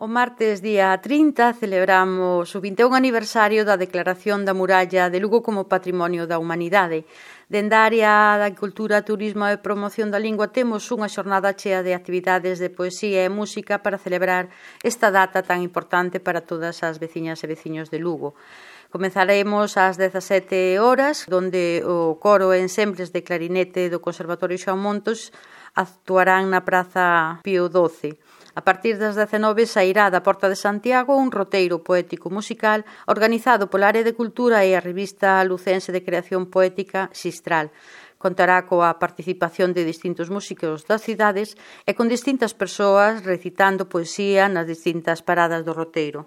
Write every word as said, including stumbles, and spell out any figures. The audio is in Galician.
O martes día trinta celebramos o vinte e un aniversario da Declaración da Muralla de Lugo como Patrimonio da Humanidade. Dende a área da Cultura, Turismo e Promoción da Lingua temos unha xornada chea de actividades de poesía e música para celebrar esta data tan importante para todas as veciñas e veciños de Lugo. Comezaremos ás dezasete horas, onde o coro e ensembles de clarinete do Conservatorio Xoán Montos actuarán na Praza Pío doce. A partir das dezenove sairá da Porta de Santiago un roteiro poético musical organizado pola Área de Cultura e a revista lucense de creación poética Xistral. Contará coa participación de distintos músicos das cidades e con distintas persoas recitando poesía nas distintas paradas do roteiro.